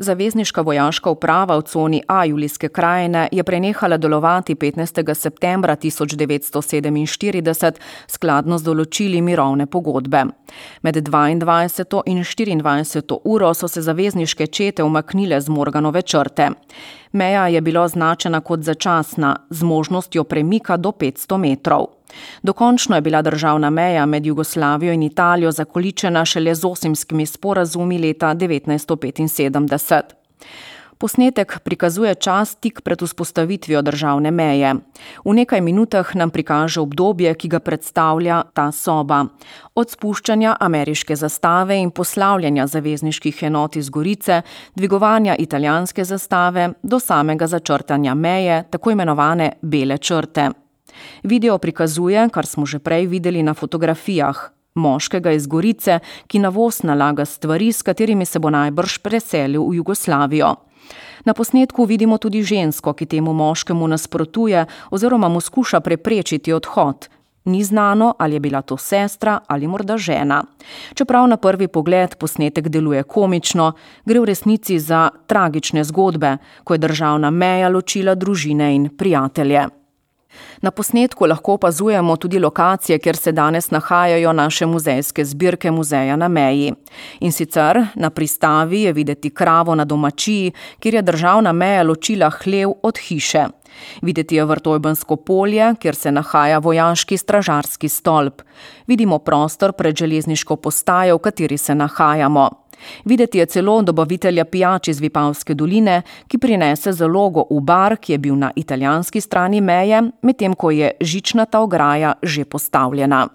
Zavezniška vojaška uprava v coni A Julijske krajine je prenehala delovati 15. septembra 1947 skladno z določili mirovne pogodbe. Med 22. in 24. uro so se zavezniške čete umaknile z Morganove črte. Meja je bila označena kot začasna, z možnostjo premika do 500 metrov. Dokončno je bila državna meja med Jugoslavijo in Italijo zakoličena šele z Osimskimi sporazumi leta 1975. Posnetek prikazuje čas tik pred vzpostavitvijo državne meje. V nekaj minutah nam prikaže obdobje, ki ga predstavlja ta soba. Od spuščanja ameriške zastave in poslavljanja zavezniških enot iz Gorice, dvigovanja italijanske zastave do samega začrtanja meje, tako imenovane bele črte. Video prikazuje, kar smo že prej videli na fotografijah, moškega iz Gorice, ki na voz nalaga stvari, s katerimi se bo najbrž preselil v Jugoslavijo. Na posnetku vidimo tudi žensko, ki temu moškemu nasprotuje oziroma mu skuša preprečiti odhod. Ni znano, ali je bila to sestra ali morda žena. Čeprav na prvi pogled posnetek deluje komično, gre v resnici za tragične zgodbe, ko je državna meja ločila družine in prijatelje. Na posnetku lahko opazujemo tudi lokacije, kjer se danes nahajajo naše muzejske zbirke muzeja na meji. In sicer na pristavi je videti kravo na domačiji, kjer je državna meja ločila hlev od hiše. Videti je Vrtojbensko polje, kjer se nahaja vojaški stražarski stolp. Vidimo prostor pred železniško postajo, v kateri se nahajamo. Videti je celo dobavitelja pijač iz Vipavske doline, ki prinese zalogo v bar, ki je bil na italijanski strani meje, medtem ko je žičnata ograja že postavljena.